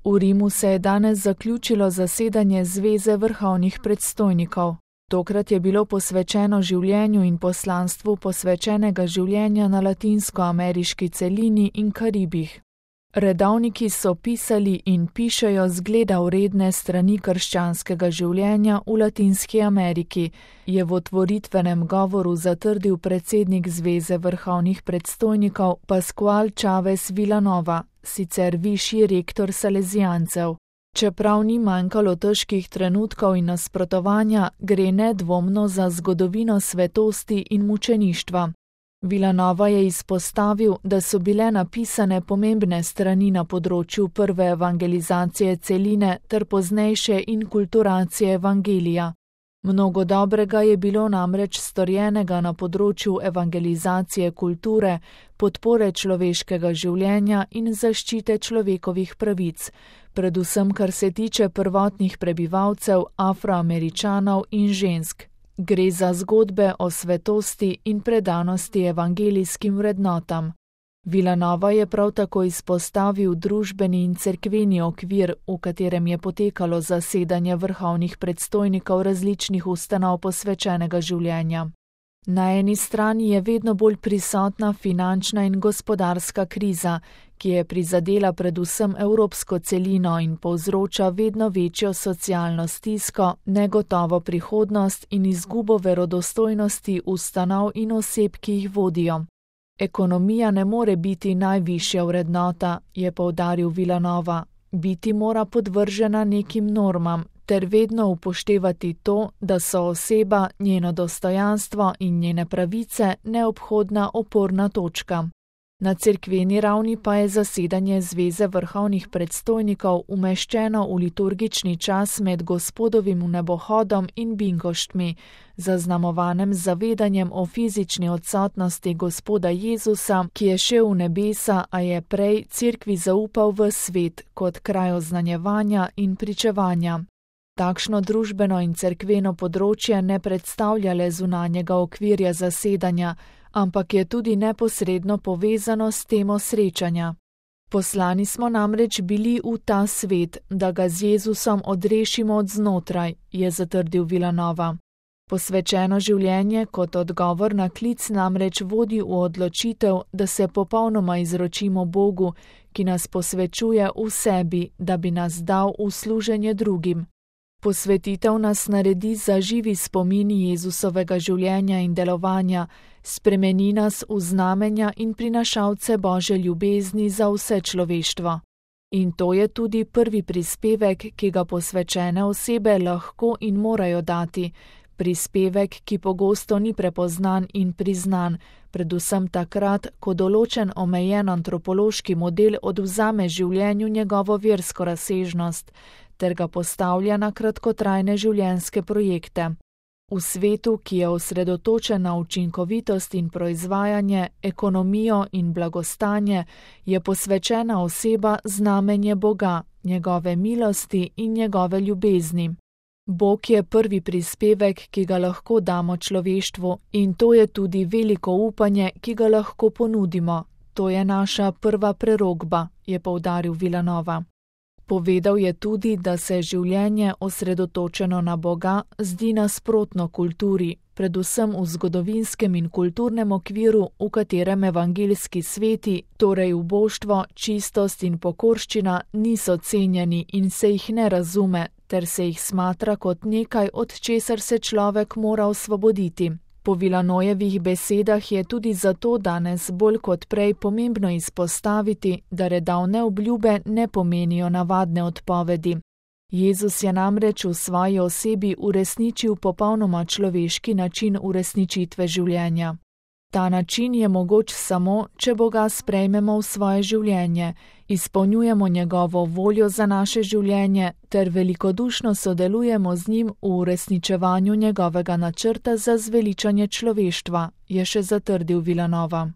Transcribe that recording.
V Rimu se je danes zaključilo zasedanje Zveze vrhovnih predstojnikov. Tokrat je bilo posvečeno življenju in poslanstvu posvečenega življenja na latinskoameriški celini in Karibih. Redovniki so pisali in pišejo zgleda vredne strani krščanskega življenja v Latinski Ameriki, je v otvoritvenem govoru zatrdil predsednik Zveze vrhovnih predstojnikov Pascual Chávez Vilanova, sicer višji rektor salezijancev. Čeprav ni manjkalo težkih trenutkov in nasprotovanja, gre nedvomno za zgodovino svetosti in mučeništva. Vilanova je izpostavil, da so bile napisane pomembne strani na področju prve evangelizacije celine ter poznejše inkulturacije evangelija. Mnogo dobrega je bilo namreč storjenega na področju evangelizacije kulture, podpore človeškega življenja in zaščite človekovih pravic, predvsem kar se tiče prvotnih prebivalcev, Afroameričanov in žensk. Gre za zgodbe o svetosti in predanosti evangelijskim vrednotam. Vilanova je prav tako izpostavil družbeni in cerkveni okvir, v katerem je potekalo zasedanje vrhovnih predstojnikov različnih ustanov posvečenega življenja. Na eni strani je vedno bolj prisotna finančna in gospodarska kriza, ki je prizadela predvsem evropsko celino in povzroča vedno večjo socialno stisko, negotovo prihodnost in izgubo verodostojnosti ustanov in oseb, ki jih vodijo. Ekonomija ne more biti najvišja vrednota, je poudaril Vilanova, biti mora podvržena nekim normam, ter vedno upoštevati to, da so oseba, njeno dostojanstvo in njene pravice neobhodna oporna točka. Na cerkveni ravni pa je zasedanje Zveze vrhovnih predstojnikov umeščeno v liturgični čas med Gospodovim vnebohodom in binkoštmi, zaznamovanem zavedanjem o fizični odsotnosti Gospoda Jezusa, ki je šel v nebesa, a je prej cerkvi zaupal v svet kot kraj oznanjevanja in pričevanja. Takšno družbeno in cerkveno področje ne predstavlja le zunanjega okvirja zasedanja, ampak je tudi neposredno povezano s temo srečanja. Poslani smo namreč bili v ta svet, da ga z Jezusom odrešimo od znotraj, je zatrdil Vilanova. Posvečeno življenje kot odgovor na klic namreč vodi v odločitev, da se popolnoma izročimo Bogu, ki nas posvečuje v sebi, da bi nas dal v služenje drugim. Posvetitev nas naredi za živi spomini Jezusovega življenja in delovanja, spremeni nas v znamenja in prinašalce Božje ljubezni za vse človeštvo. In to je tudi prvi prispevek, ki ga posvečene osebe lahko in morajo dati, prispevek, ki pogosto ni prepoznan in priznan, predvsem takrat, ko določen omejen antropološki model odvzame življenju njegovo versko razsežnost, ter ga postavlja na kratkotrajne življenjske projekte. V svetu, ki je osredotočen na učinkovitost in proizvajanje, ekonomijo in blagostanje, je posvečena oseba znamenje Boga, njegove milosti in njegove ljubezni. Bog je prvi prispevek, ki ga lahko damo človeštvu, in to je tudi veliko upanje, ki ga lahko ponudimo. To je naša prva prerokba, je poudaril Vilanova. Povedal je tudi, da se življenje osredotočeno na Boga zdi nasprotno kulturi, predvsem v zgodovinskem in kulturnem okviru, v katerem evangeljski sveti, torej uboštvo, čistost in pokorščina niso cenjeni in se jih ne razume, ter se jih smatra kot nekaj, od česar se človek mora osvoboditi. Po Vilanojevih besedah je tudi zato danes bolj kot prej pomembno izpostaviti, da redovne obljube ne pomenijo navadne odpovedi. Jezus je namreč v svoji osebi uresničil popolnoma človeški način uresničitve življenja. Ta način je mogoč samo, če Boga sprejmemo v svoje življenje, izpolnjujemo njegovo voljo za naše življenje ter velikodušno sodelujemo z njim v uresničevanju njegovega načrta za zveličanje človeštva, je še zatrdil Vilanova.